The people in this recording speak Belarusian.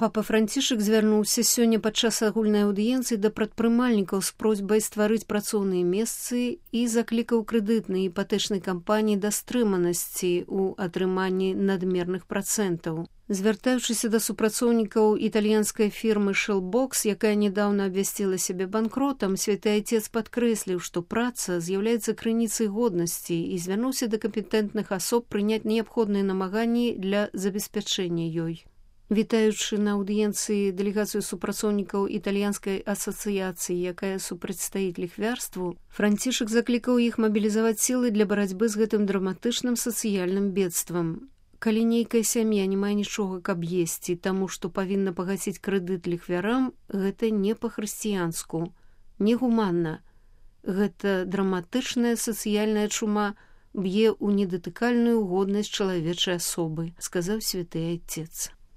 Папа Францішак звярнуўся сёння падчас агульнай аўдыенцыі да прадпрымальнікаў з просьбай стварыць працоўныя месцы і заклікаў крэдытнай і іпатэчнай кампаніі да стрыманасці ў атрыманні надмерных працэнтаў. Звяртаючыся да супрацоўнікаў італьянскай фірмы Shellbox, якая нядаўна абвясціла сябе банкротам, Святы Айцец падкрэсліў, што праца з'яўляецца крыніцай годнасці і звярнуўся да кампетэнтных асоб прыняць неабходныя намаганні для забеспячэння ёй. Вітаючы на аўдыенцыі дэлегацыю супрацоўнікаў італьянскай асацыяцыі, якая супрацьстаіць ліхвярству, Францішак заклікаў іх мабілізаваць сілы для барацьбы з гэтым драматычным сацыяльным бедствам. Калі нейкая сям'я не мае нічога, каб есці, таму што павінна пагаціць крэдыт ліхвярам, гэта не па-хрысціянску, негуманна. Гэта драматычная сацыяльная чума б'е ў недатыкальную годнасць чалавечай асобы, сказаў Святы Айцец.